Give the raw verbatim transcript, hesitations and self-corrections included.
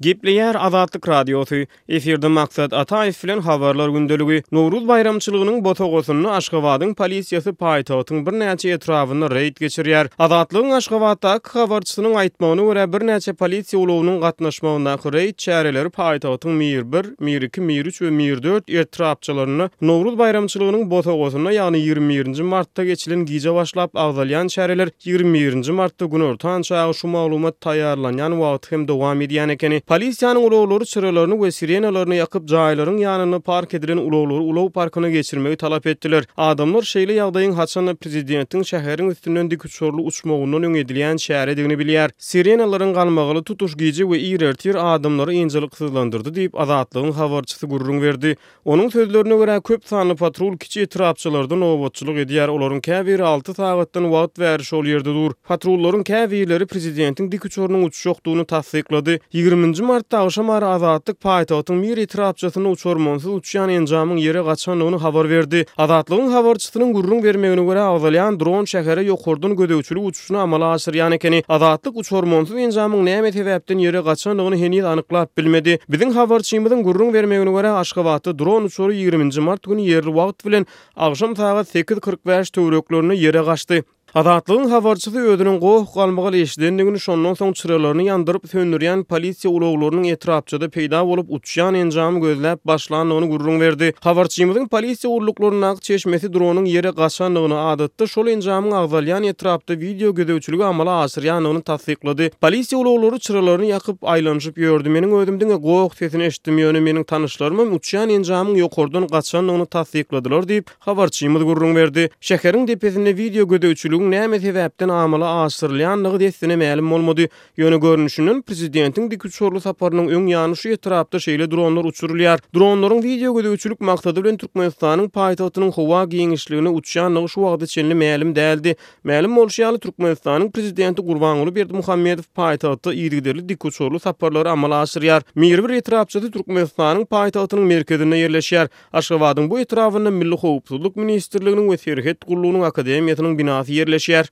Gepleýär Azatlyk Radiosy. Efirde Maksat Ataýew bilen Habarlar gündeligi. Nowruz baýramçylygynyň bosagasynda Aşgabadyň polisiýasy paýtagtyň birnäçe etrabynda reýd geçirýär. Azatlygyň Aşgabatdaky habarçysynyň aýtmagyna görä, birnäçe polisiýa ulagynyň gatnaşmagyndaky reýd çäreleri paýtagtyň Mir bir, Mir iki, Mir üç we Mir dört etrapçalarynda Nowruz baýramçylygynyň bosagasynda, ýagny ýigrimi birinji martda geçilen gije başlap agzalýan çäreler ýigrimi birinji martda günortan çagy şu maglumat taýýarlanýan wagty hem dowam edýän ekeni. Polisiýanyň ulaglary çyralaryny we sirenalaryny ýakyp, jaýlaryň ýanynda park edilen ulaglary ulag parkyna geçirmegi talap etdiler. Adamlar şeýle ýagdaýyň haçanda prezidentiň şäheriň üstünden dikuçarly uçmagyndan öň edilýän çäredigini bilýär. Sirenalaryň galmagaly tutuş gije we ir ertir adamlary ynjalyksyzlandyrdy diýip, Azatlygyň habarçysy gürrüň berdi. Onuň sözlerine görä, köp sanly patrul kiçi etrapçalarda nobatçylyk edýär, olaryň käbiri alty sagatdan wagt bäri şol ýerde dur. Patrullaryň käbirleri prezidentiň dikuçarynyň uçjakdygyny tassyklady. Ýigriminji martda agşam ara Azatlyk paýtagtyň Mir etrapçasynda uçarmansyz uçýan enjamyň ýere gaçandygyny habar berdi. Azatlygyň habarçysynyň gürrüň bermegine görä, agzalýan dron şähere ýokardan gözegçilik uçuşyny amala aşyrýan ekeni. Azatlyk uçarmansyz enjamyň näme sebäpden ýere gaçandygyny heniz anyklap bilmedi. Biziň habarçymyzyň gürrüň bermegine görä, Aşgabatda dron uçary ýigriminji mart güni ýerli wagt bilen agşam sagat sekiz kyrk bäş töwereklerinde ýere gaçdy. Azatlygyň habarçysy özüniň goh-galmagal eşidendigini, şondan soň çyralaryny ýandyryp söndürýän polisiýa ulaglarynyň etrapçada peýda bolup uçýan enjamy gözläp başlandygyny gürrüň berdi. Habarçymyzyň polisiýa gulluklaryndaky çeşmesi dronyň ýere gaçandygyny, adatda şol enjamyň agzalýan etrapda wideo gözegçiligi amala aşyrýandygyny tassyklady. Polisiýa ulaglary çyralaryny ýakyp aýlanyşyp ýördi. Meniň özüm diňe goh sesini eşitdim, ýöne meniň tanyşlarymam uçýan enjamyň ýokardan gaçandygyny tassykladylar diýip, habarçymyz gürrüň berdi. Şäheriň depesinde wideo gözegçiligiň näme sebäpden amala aşyrylýandygy dessine mälim bolmady. Ýöne görnüşinden prezidentiň dikuçarly saparynyň öň ýany şu etrapda şeýle dronlar uçurylýar. Dronlaryň wideo gözegçilik maksady bilen Türkmenistanyň paýtagtynyň howa giňişligine uçýandygy şu wagta çenli mälim däldi. Mälim bolşy ýaly, Türkmenistanyň prezidenti Gurbanguly Berdimuhamedow paýtagtda yzygiderli dikuçarly saparlary amala aşyrýar. Mir bir etrapçasy Türkmenistanyň paýtagtynyň merkezinde ýerleşýär. Aşgabadyň bu etrabynda Milli howpsuzlyk ministrliginiň we Serhet gullugynyň akademiýasynyň binasy ýerleşýär.